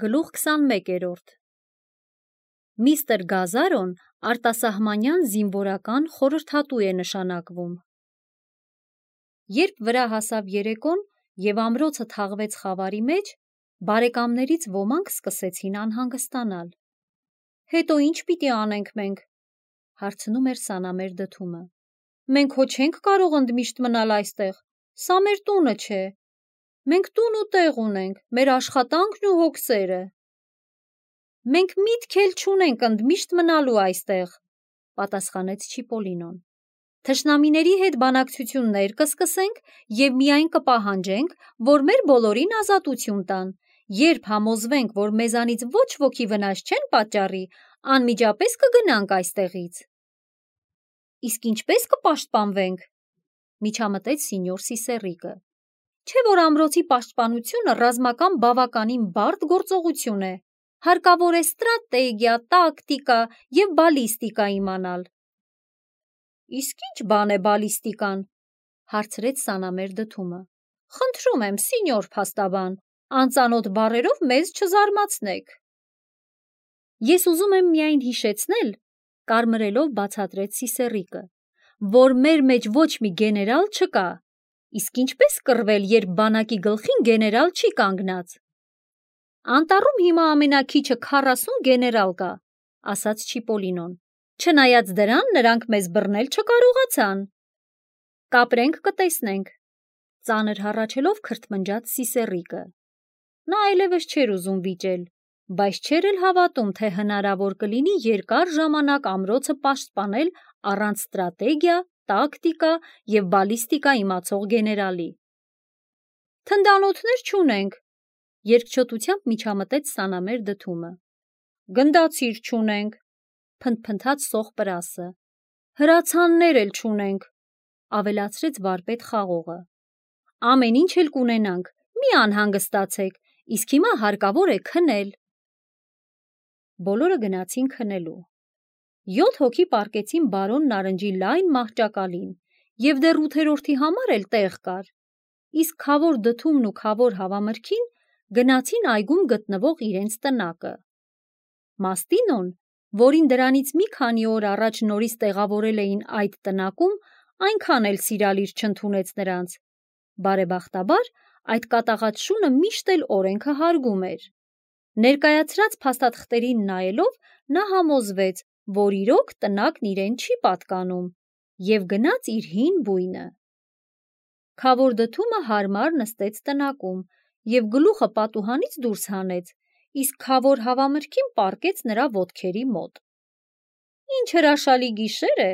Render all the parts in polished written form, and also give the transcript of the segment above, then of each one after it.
Գլուխ 21-րդ Միստր Գազարոն արտասահմանյան զինվորական խորհրդատու է նշանակվում։ Երբ վրա հասավ երեկոն և ամրոցը թաղվեց խավարի մեջ, բարեկամներից ոմանք սկսեցին անհանգստանալ։ «Հետո ինչ պիտի անենք մենք», հարցնում էր Սանամեր Դդումը։ «Մենք հո չենք կարող ընդմիշտ մնալ այստեղ, սա մեր տունը չէ։ Մենք տուն ու տեղ ունենք, մեր աշխատանքն ու հոգսերը»։ «Մենք միտք էլ չունենք ընդմիշտ մնալու այստեղ», պատասխանեց Չիպոլինոն։ «Թշնամիների հետ բանակցություններ կսկսենք և միայն կպահանջենք, որ մեր բոլորին ազատություն տան։ Երբ համոզվենք, որ մեզանից ոչ ոքի վնաս չեն պատճառի, անմիջապես կգնանք այստեղից»։ «Իսկ ինչպե՞ս կպաշտպանվենք», միջամտեց սինյոր Սիսեռիկը։ «Չէ՞ որ ամրոցի պաշտպանությունը ռազմական բավականին բարդ գործողություն է։ Հարկավոր է ստրատեգիա, տակտիկա և բալիստիկա իմանալ»։ «Իսկ ի՞նչ բան է բալիստիկան», հարցրեց Սանամեր Դդումը։ «Խնդրում եմ, սինյոր փաստաբան, անծանոթ բառերով մեզ չզարմացնեք»։ «Ես ուզում եմ միայն հիշեցնել», կարմրելով բացատրեց Սիսեռիկը, «որ մեր մեջ ոչ մի գեներալ չկա։ Իսկ ինչպե՞ս կռվել, երբ բանակի գլխին գեներալ չի կանգնած»։ «Անտառում հիմա ամենաքիչը 40 գեներալ կա», ասաց Չիպոլինոն։ «Չնայած դրան նրանք մեզ բռնել չկարողացան»։ «Կապրենք, կտեսնենք», ծանր հառաչելով քրթմնջաց Սիսեռիկը։ Նա այլևս չէր ուզում վիճել, բայց չէր էլ հավատում, թե հնարավոր կլինի երկար ժամանակ ամրոցը պաշտպանել առանց ստրատեգիա, տակտիկա և բալիստիկա իմացող գեներալի։ «Թնդանոթներ չունենք», երկչոտությամբ միջամտեց Սանամեր Դդումը։ «Գնդացիր չունենք», փնթփնթաց Սոխ Պրասը։ «Հրացաններ էլ չունենք», ավելացրեց վարպետ Խաղողը։ «Ամեն ինչ էլ կունենանք, մի անհանգստացեք, իսկ հիմա հարկավոր է քնել»։ Բոլորը գնացին քնելու։ 7 հոգի պառկեցին բարոն Նարնջի լայն մահճակալին, և դեռ 8-րդի համար էլ տեղ կար, իսկ Քավոր Դդումն ու Քավոր Հավամրգին գնացին այգում գտնվող իրենց տնակը։ Մաստինոն, որին դրանից մի քանի օր առաջ նորից տեղավորել էին այդ տնակում, այնքան էլ սիրալիր չընդունեց նրանց։ Բարեբախտաբար, այդ կատաղած շունը միշտ էլ օրենքը հարգում էր։ Ներկայացրած փաստաթղթերին նայելով, նա համոզվեց, որ իրոք տնակն իրեն չի պատկանում, և գնաց իր հին բույնը։ Քավոր Դդումը հարմար նստեց տնակում և գլուխը պատուհանից դուրս հանեց, իսկ Քավոր Հավամրգին պառկեց նրա ոտքերի մոտ։ «Ինչ հրաշալի գիշեր է»,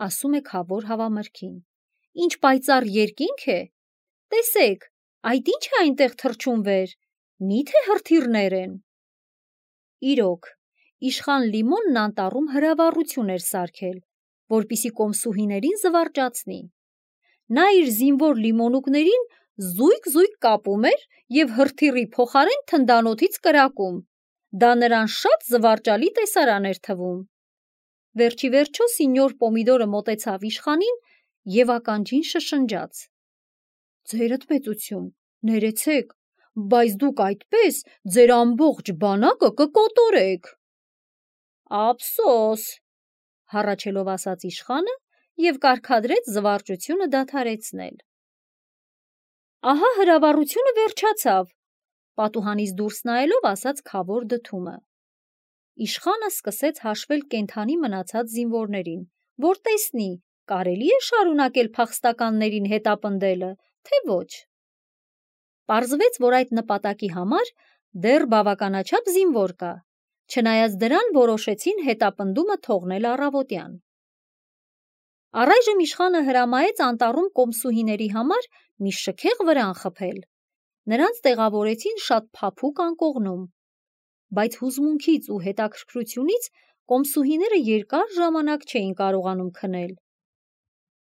ասում է Քավոր Հավամրգին։ «Ինչ պայծառ երկինք է։ Տեսեք, այդ ի՞նչ է այնտեղ թռչում վեր, մի՞թե հրթիռներ են»։ Իրոք, իշխան Լիմոնն անտառում հրավառություն էր սարքել, որպեսզի կոմսուհիներին զվարճացնի։ Նա իր զինվոր լիմոնուկներին զույգ-զույգ կապում էր և հրթիռի փոխարեն թնդանոթից կրակում։ Դա նրան շատ զվարճալի տեսարան էր թվում։ Վերջիվերջո սինյոր Պոմիդորը մոտեցավ իշխանին և ականջին շշնջաց. «Ձերդ մեծություն, ներեցեք, բայց դուք այդպես ձեր ամբողջ բանակը կկոտորեք»։ «Ափսոս», հառաչելով ասաց իշխանը և կարգադրեց զվարճությունը դադարեցնել։ «Ահա հրավառությունը վերջացավ», պատուհանից դուրս նայելով ասաց Քավոր Դդումը։ Իշխանը սկսեց հաշվել կենդանի մնացած զինվորներին, որ տեսնի, կարելի է շարունակել փախստականներին հետապնդելը, թե ոչ։ Պարզվեց, որ այդ նպատակի համար դեռ բավականաչափ զինվոր կա, չնայած դրան որոշեցին հետապնդումը թողնել առավոտյան։ Առայժմ իշխանը հրամայեց անտառում կոմսուհիների համար մի շքեղ վրան խփել։ Նրանց տեղավորեցին շատ փափուկ անկողնում, բայց հուզմունքից ու հետաքրքրությունից կոմսուհիները երկար ժամանակ չէին կարողանում քնել։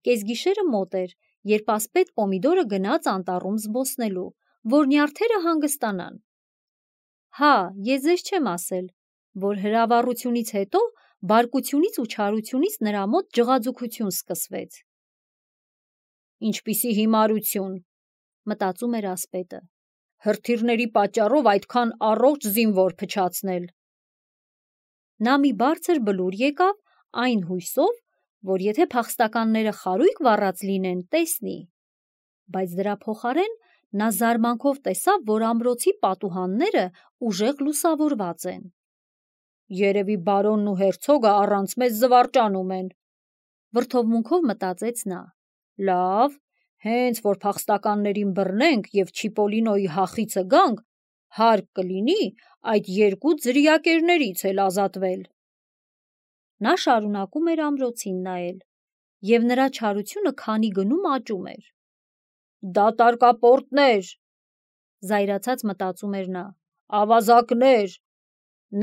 Կեսգիշերը մոտ էր, երբ ասպետ Պոմիդորը գնաց անտառում զբոսնելու, որ նյարդերը հանգստանան։ Հա, ես ձեզ չեմ ասել, որ հրավառությունից հետո բարկությունից ու չարությունից նրա մոտ ջղաձգություն սկսվեց։ «Ինչպիսի հիմարություն», մտածում էր ասպետը։ հրթիռների պատճառով այդքան առողջ զինվոր փչացնել։ Նա մի բարձր բլուր եկավ այն հույսով, որ եթե փախստականները խարույկ վառած լինեն, տեսնի, բայց դրա փոխարեն նա զարմանքով տեսավ, որ ամրոցի պատուհանները ուժեղ լուսավորված են։ Երևի բարոնն ու հերցոգը առանց մեզ զվարճանում են, վրդովմունքով մտածեց նա։ Լավ, հենց որ փախստականներին բռնենք և Չիպոլինոյի հախիցը գանք, հարկ կլինի այդ երկու ձրիակերներից էլ ազատվել։ Նա շարունակում էր ամրոցին նայել, և նրա չարությունը քանի գնում աճում էր։ Դատարկապորտներ, զայրացած մտածում էր նա, ավազակներ,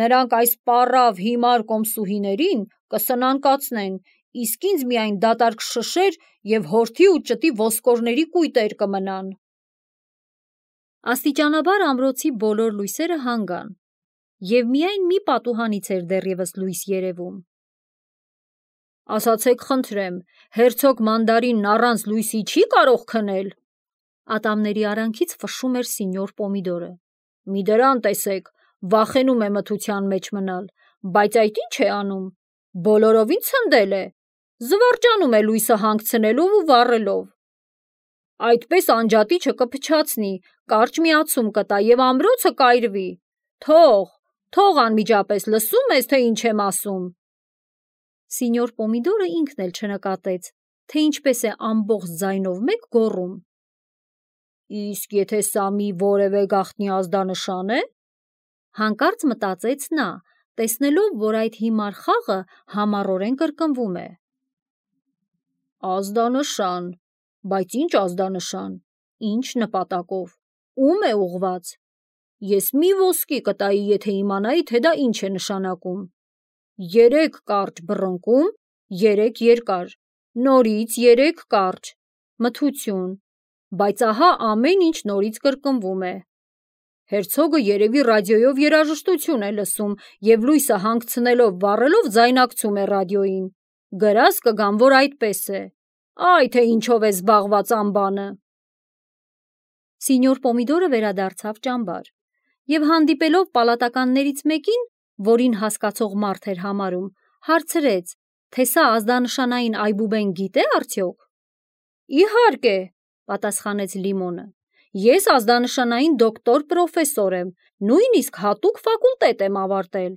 նրանք այս պառավ հիմար կոմսուհիներին կսնանկացնեն, իսկ ինձ միայն դատարկ շշեր և հորթի ու ճտի ոսկորների կույտեր կմնան։ Աստիճանաբար ամրոցի բոլոր լույսերը հանգան, և միայն մի պատուհանից էր դեռևս լույս երևում։ Ասացեք խնդրեմ, հերցոգ Մանդարինն առանց լույսի չի կարող քնել։ Ատամների արանքից ֆշշում էր սինյոր Պոմիդորը։ Մի դրան տեսեք, վախենում է մթության մեջ մնալ, բայց այդ ինչ է անում, բոլորովին ցնդել է, զվարճանում է լույսը հանգցնելով ու վառելով։ Այդպես անջատիչը կփչացնի, կարճ միացում կտա և ամրոցը կայրվի։ Թող անմիջապես, լսում ես, թե ինչ եմ ասում։ Սինյոր Պոմիդորը ինքն էլ չնկատեց, թե ինչպես է ամբողջ ձայնով մեկ գոռում։ Իսկ եթե սա մի որևէ գաղտնի ազդանշան է, հանկարծ մտածեց նա, տեսնելով, որ այդ հիմար խաղը համառորեն կրկնվում է։ Ազդանշան, բայց ինչ ազդանշան, ինչ նպատակով, ում է ուղղված։ Ես մի ոսկի կտայի, եթե իմանայի, թե դա ինչ է նշանակում։ 3 կարճ բռնկում, 3 երկար, նորից 3 կարճ, մթություն, բայց ահա ամեն ինչ նորից կրկնվում է։ Հերցոգը երևի ռադիոյով երաժշտություն է լսում և լույսը հանգցնելով վառելով ձայնակցում է ռադիոյին։ Գրած կգամ, որ այդպես է։ Այ թե ինչով է զբաղված անբանը։ Սինյոր Պոմիդորը վերադարձավ ճամբար և հանդիպելով պալատականներից մեկին, որին հասկացող մարդ էր համարում, հարցրեց, թե սա ազդանշանային այբուբեն գիտե արդյոք։ Իհարկե, պատասխանեց Լիմոնը։ Ես ազդանշանային դոկտոր պրոֆեսոր եմ, նույնիսկ հատուկ ֆակուլտետ եմ ավարտել։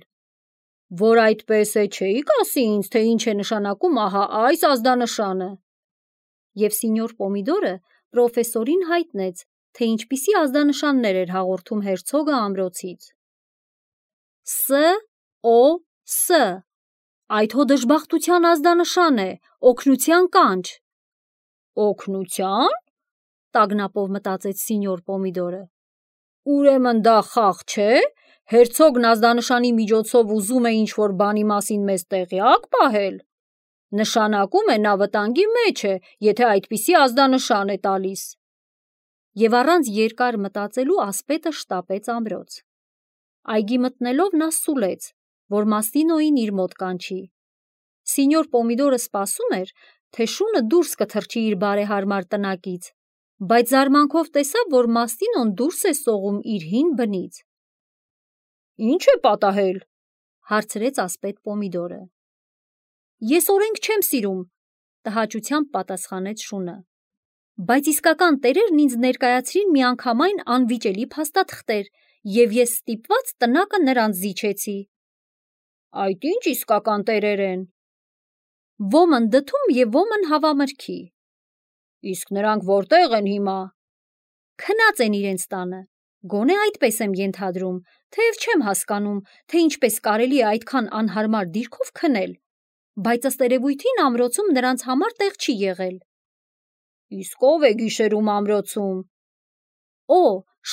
Որ այդպես է, չէիք ասի ինձ, թե ինչ է նշանակում ահա այս ազդանշանը։ Եվ սինյոր Պոմիդորը պրոֆեսորին հայտնեց, թե ինչպիսի ազդանշաններ էր հաղորդում հերցոգը ամրոցից։ S.O.S. Այդ հո դժբախտության ազդանշան է, օգնության կանչ։ Օգնության։ Տագնապով մտածեց սինյոր Պոմիդորը։ Ուրեմն դա խաղ չէ, հերցոգն ազդանշանի միջոցով ուզում է ինչ-որ բանի մասին մեզ տեղյակ պահել։ Նշանակում է նա վտանգի մեջ է, եթե այդպիսի ազդանշան է տալիս։ Եվ առանց երկար մտածելու ասպետը շտապեց ամրոց։ Այգի մտնելով նա սուլեց, որ Մաստինոյին իր մոտ կանչի։ Սինյոր Պոմիդորը սպասում էր, թե շունը դուրս կթռչի իր բարեհարմար տնակից, բայց զարմանքով տեսավ, որ Մաստինոն դուրս է սողում իր հին բնից։ Ինչ է պատահել, հարցրեց ասպետ Պոմիդորը։ Ես օրենք չեմ սիրում, տհաճությամբ պատասխանեց շունը, բայց իսկական տերերն ինձ ներկայացրին միանգամայն անվիճելի փաստաթղթեր, և ես ստիպված տնակը նրանց զիջեցի։ Այդ ինչ իսկական տերեր են։ Ոմն դդում և ոմն հավամրգի։ Իսկ նրանք որտեղ են հիմա։ Քնած են իրենց տանը, գոնե այդպես եմ ենթադրում, թեև չեմ հասկանում, թե ինչպես կարելի է այդքան անհարմար դիրքով քնել, բայց ըստ երևույթին ամրոցում նրանց համար տեղ չի եղել։ Իսկ ով է գիշերում ամրոցում։ Օ,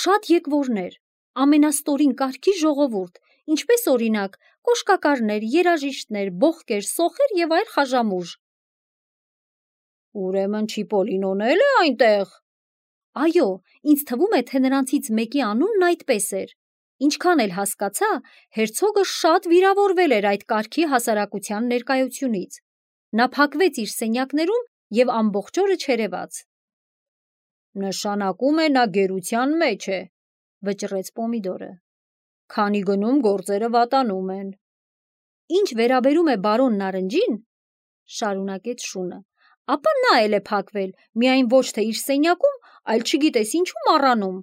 շատ եկվորներ, ամենաստորին կարգի ժողովուրդ, ինչպես օրինակ կոշկակարներ, երաժիշտներ, բոխկեր, սոխեր և այլ խաժամուժ։ Ուրեմն Չիպոլինոն էլ է այնտեղ։ Այո, ինձ թվում է, թե նրանցից մեկի անունն այդպես էր։ Ինչքան էլ հասկացա, հերցոգը շատ վիրավորվել էր այդ կարգի հասարակության ներկայությունից։ Նա փակվեց իր սենյակներում և ամբողջ օրը չերևաց։ Նշանակում է նա գերության մեջ է, վճռեց Պոմիդորը։ Քանի գնում գործերը վատանում են։ Ինչ վերաբերում է բարոն Նարնջին, շարունակեց Շունը, ապա նա էլ է փակվել, միայն ոչ թե իր սենյակում, այլ չգիտես ինչու մառանում։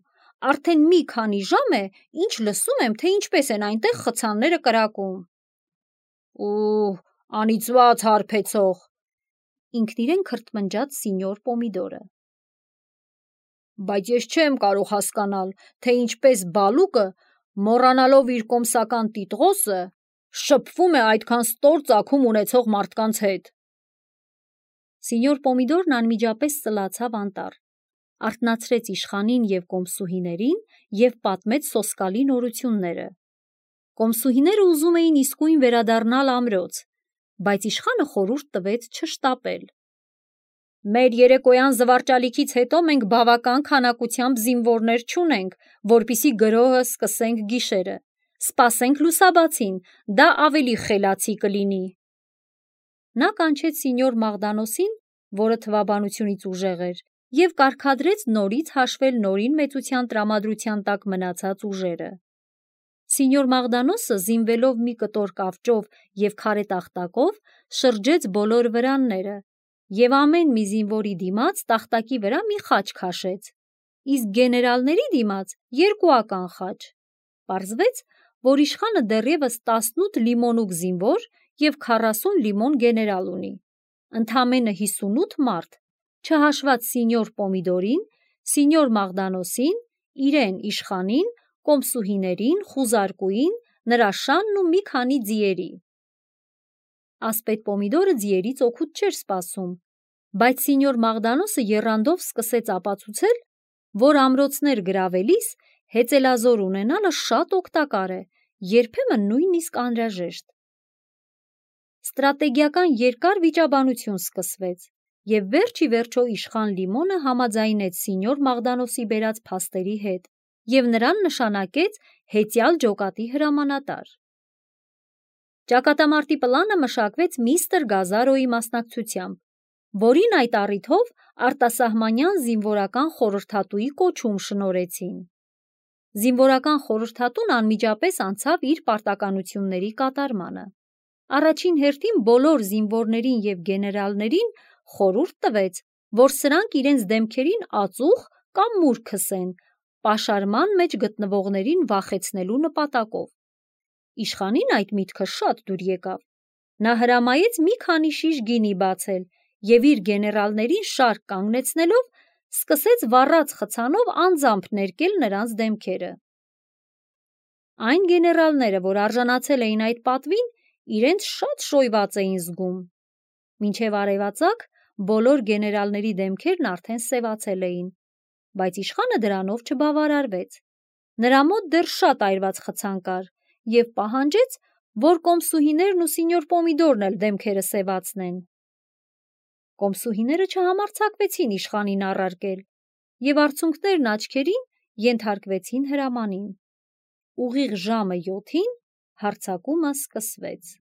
Արդեն մի քանի ժամ է, ինչ լսում եմ, թե ինչպես են այնտեղ խցանները կրակում։ Ու անիծված հարբեցող, ինքն իրեն քրթմնջաց սինյոր Պոմիդորը։ Բայց ես չեմ կարող հասկանալ, թե ինչպես Բալուկը, մոռանալով իր կոմսական տիտղոսը, շփվում է այդքան ստոր ծագում ունեցող մարդկանց հետ։ Սինյոր Պոմիդորն անմիջապես ծլացավ անտառ, արթնացրեց իշխանին և կոմսուհիներին և պատմեց սոսկալի նորությունները։ Կոմսուհիները ուզում էին իսկույն վերադառնալ ամրոց, բայց իշխանը խորհուրդ տվեց չշտապել։ Մեր երեկոյան զվարճալիքից հետո մենք բավական քանակությամբ զինվորներ չունենք, որպեսզի գրոհը սկսենք գիշերը։ Սպասենք լուսաբացին, դա ավելի խելացի կլինի։ Նա կանչեց սինյոր Մաղդանոսին, որը թվաբանությունից ուժեղ էր, և կարգադրեց նորից հաշվել նորին մեծության տրամադրության տակ մնացած ուժերը։ Սինյոր Մաղդանոսը, զինվելով մի կտոր կավճով և քարե տախտակով, շրջեց բոլոր վրանները և ամեն մի զինվորի դիմաց տախտակի վրա մի խաչ քաշեց, իսկ գեներալների դիմաց երկուական խաչ։ Պարզվեց, որ իշխանը դեռևս 18 լիմոնուկ զինվոր և 40 լիմոն գեներալ ունի, ընդամենը 58 մարդ, չհաշված սինյոր Պոմիդորին, սինյոր Մաղդանոսին, իրեն իշխանին, կոմսուհիներին, խուզարկուին, նրա շանն ու մի քանի ձիերի։ Ասպետ Պոմիդորը ձիերից օգուտ չէր սպասում, բայց սինյոր Մաղդանոսը եռանդով սկսեց ապացուցել, որ ամրոցներ գրավելիս հեծելազոր ունենալը շատ օգտակար է, երբեմն նույնիսկ անհրաժեշտ։ Ստրատեգիական երկար վիճաբանություն սկսվեց, և վերջ ի վերջո իշխան Լիմոնը համաձայնեց սինյոր Մաղդանոսի բերած փաստերի հետ և նրան նշանակեց հեծյալ ջոկատի հրամանատար։ Ճակատամարտի պլանը մշակվեց միստր Գազարոյի մասնակցությամբ, որին այդ առիթով արտասահմանյան զինվորական խորհրդատուի կոչում շնորհեցին։ Զինվորական խորհրդատուն անմիջապես անցավ իր պարտականությունների կատարմանը։ Առաջին հերթին բոլոր զինվորներին և գեներալներին խորհուրդ տվեց, որ սրանք իրենց դեմքերին ածուխ կամ մուր քսեն, պաշարման մեջ գտնվողներին վախեցնելու նպատակով։ Իշխանին այդ միտքը շատ դուր եկավ։ Նա հրամայեց մի քանի շիշ գինի բացել և իր գեներալներին շարք կանգնեցնելով սկսեց վառած խցանով անձամբ ներկել նրանց դեմքերը։ Այն գեներալները, որ արժանացել էին այդ պատվին, իրենց շատ շոյված էին զգում։ Մինչև արևածագ բոլոր գեներալների դեմքերն արդեն սևացել էին, բայց իշխանը դրանով չբավարարվեց։ Նրա մոտ դեռ շատ այրված խցան կար և պահանջեց, որ կոմսուհիներն ու սինյոր Պոմիդորն էլ դեմքերը սևացնեն։ Կոմսուհիները չհամարձակվեցին իշխանին առարկել և արցունքներն աչքերին ենթարկվեցին հրամանին։ Ուղիղ ժամը 7-ին հարձակումը սկսվեց։